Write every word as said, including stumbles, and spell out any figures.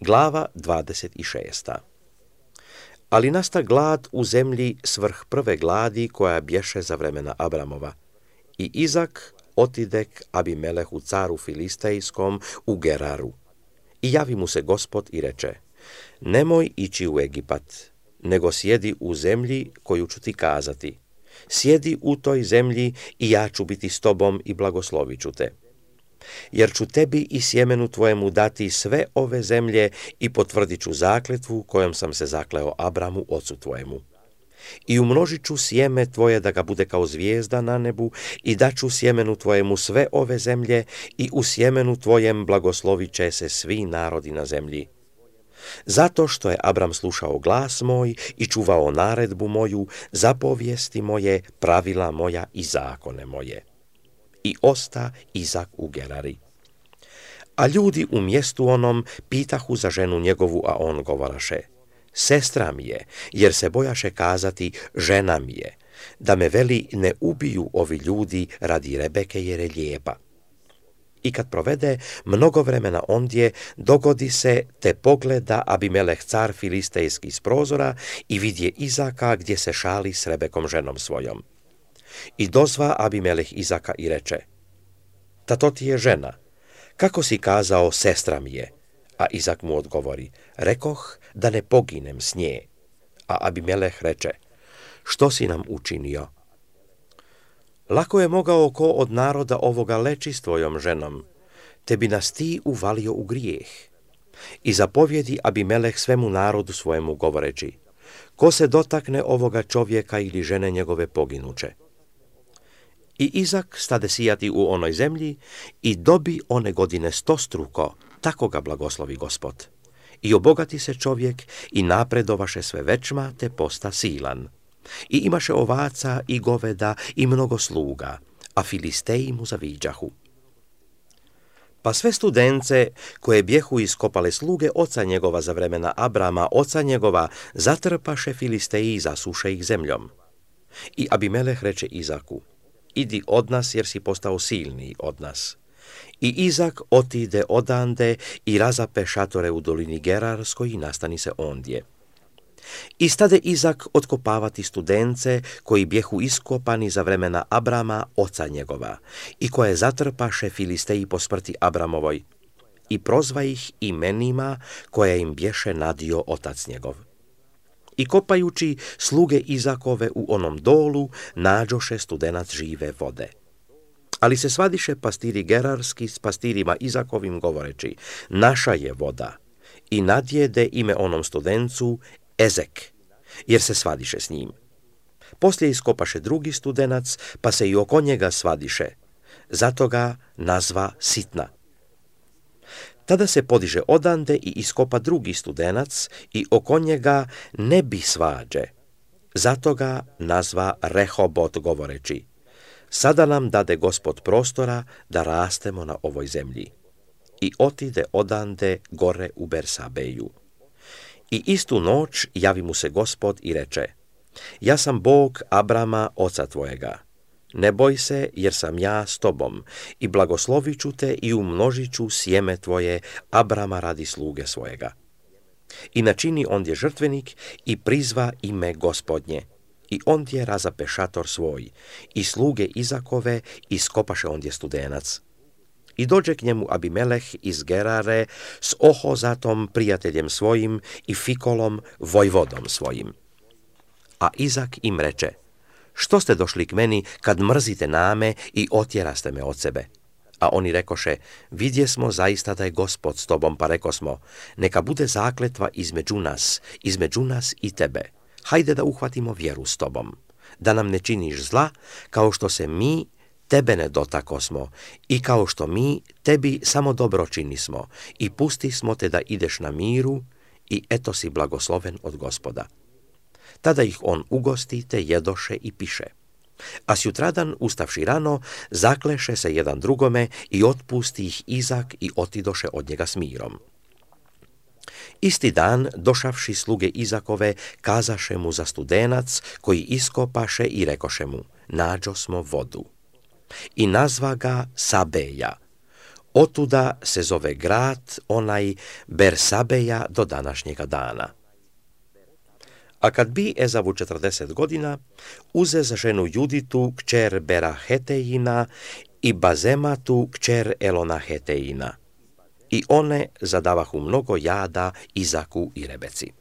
Glava dvadeset šest. Ali nasta glad u zemlji svrh prve gladi koja bješe za vremena Abramova. I Izak otidek Abimelehu caru Filistejskom u Geraru. I javi mu se Gospod i reče: nemoj ići u Egipat, nego sjedi u zemlji koju ću ti kazati. Sjedi u toj zemlji i ja ću biti s tobom i blagoslovit ću te. Jer ću tebi i sjemenu tvojemu dati sve ove zemlje i potvrdit ću zakletvu kojom sam se zakleo Abramu, ocu tvojemu. I umnožit ću sjeme tvoje da ga bude kao zvijezda na nebu i daću sjemenu tvojemu sve ove zemlje i u sjemenu tvojem blagoslovit će se svi narodi na zemlji. Zato što je Abram slušao glas moj i čuvao naredbu moju, zapovijesti moje, pravila moja i zakone moje. I osta Izak u Gerari. A ljudi u mjestu onom pitahu za ženu njegovu, a on govoraše: sestra mi je, jer se bojaše kazati žena mi je, da me veli ne ubiju ovi ljudi radi Rebeke jer je lijepa. I kad provede mnogo vremena ondje, dogodi se te pogleda Abimeleh car filistejski s prozora i vidje Izaka gdje se šali s Rebekom ženom svojom. I dozva Abimeleh Izaka i reče: ta to ti je žena, kako si kazao sestra mi je? A Izak mu odgovori: rekoh da ne poginem s nje. A Abimeleh reče: što si nam učinio? Lako je mogao ko od naroda ovoga leći s tvojom ženom, te bi nas ti uvalio u grijeh. I zapovjedi Abimeleh svemu narodu svojemu govoreći: ko se dotakne ovoga čovjeka ili žene njegove poginuće. I Izak stade sijati u onoj zemlji i dobi one godine stostruko, tako ga blagoslovi Gospod. I obogati se čovjek i napredovaše sve večma, te posta silan. I imaše ovaca i goveda i mnogo sluga, a Filisteji mu zaviđahu. Pa sve studence koje bjehu iskopale sluge oca njegova za vremena Abrama, oca njegova, zatrpaše Filisteji i zasuše ih zemljom. I Abimeleh reče Izaku: idi od nas jer si postao silniji od nas. I Izak otide odande i razape šatore u dolini Gerarskoj i nastani se ondje. I stade Izak otkopavati studence koji bjehu iskopani za vremena Abrama, oca njegova, i koje zatrpaše Filisteji po smrti Abramovoj, i prozva ih imenima koje im bješe nadio otac njegov. I kopajući sluge Izakove u onom dolu, nađoše studenac žive vode. Ali se svadiše pastiri gerarski s pastirima Izakovim govoreći: naša je voda. I nadjede ime onom studencu Ezek, jer se svadiše s njim. Poslije iskopaše drugi studenac, pa se i oko njega svadiše. Zato ga nazva Sitna. Tada se podiže odande i iskopa drugi studenac i oko njega ne bi svađe. Zato ga nazva Rehobot govoreći: sada nam dade Gospod prostora da rastemo na ovoj zemlji. I otide odande gore u Bersabeju. I istu noć javi mu se Gospod i reče: ja sam Bog Abrama, oca tvojega. Ne boj se, jer sam ja s tobom, i blagoslovit ću te i umnožit ću sjeme tvoje Abrama radi sluge svojega. I načini ondje žrtvenik i prizva ime Gospodnje. I ondje razape šator svoj, i sluge Izakove iskopaše ondje studenac. I dođe k njemu Abimeleh iz Gerare s Ohozatom, prijateljem svojim, i Fikolom, vojvodom svojim. A Izak im reče: što ste došli k meni kad mrzite name i otjeraste me od sebe? A oni rekoše: vidje smo zaista da je Gospod s tobom, pa rekosmo: neka bude zakletva između nas, između nas i tebe. Hajde da uhvatimo vjeru s tobom, da nam ne činiš zla, kao što se mi tebe ne dotakosmo i kao što mi tebi samo dobro činismo, i pusti smo te da ideš na miru, i eto si blagosloven od Gospoda. Tada ih on ugosti, te jedoše i piše. A sjutradan, ustavši rano, zakleše se jedan drugome i otpusti ih Izak i otidoše od njega s mirom. Isti dan, došavši sluge Izakove, kazaše mu za studenac koji iskopaše i rekoše mu: nađo smo vodu. I nazva ga Sabeja. Otuda se zove grad onaj Bersabeja do današnjega dana. A kad bi Ezavu četrdeset godina, uze za ženu Juditu, kćer Berahetejina, i Bazematu, kćer Elonahetejina. I one zadavahu mnogo jada Izaku i Rebeci.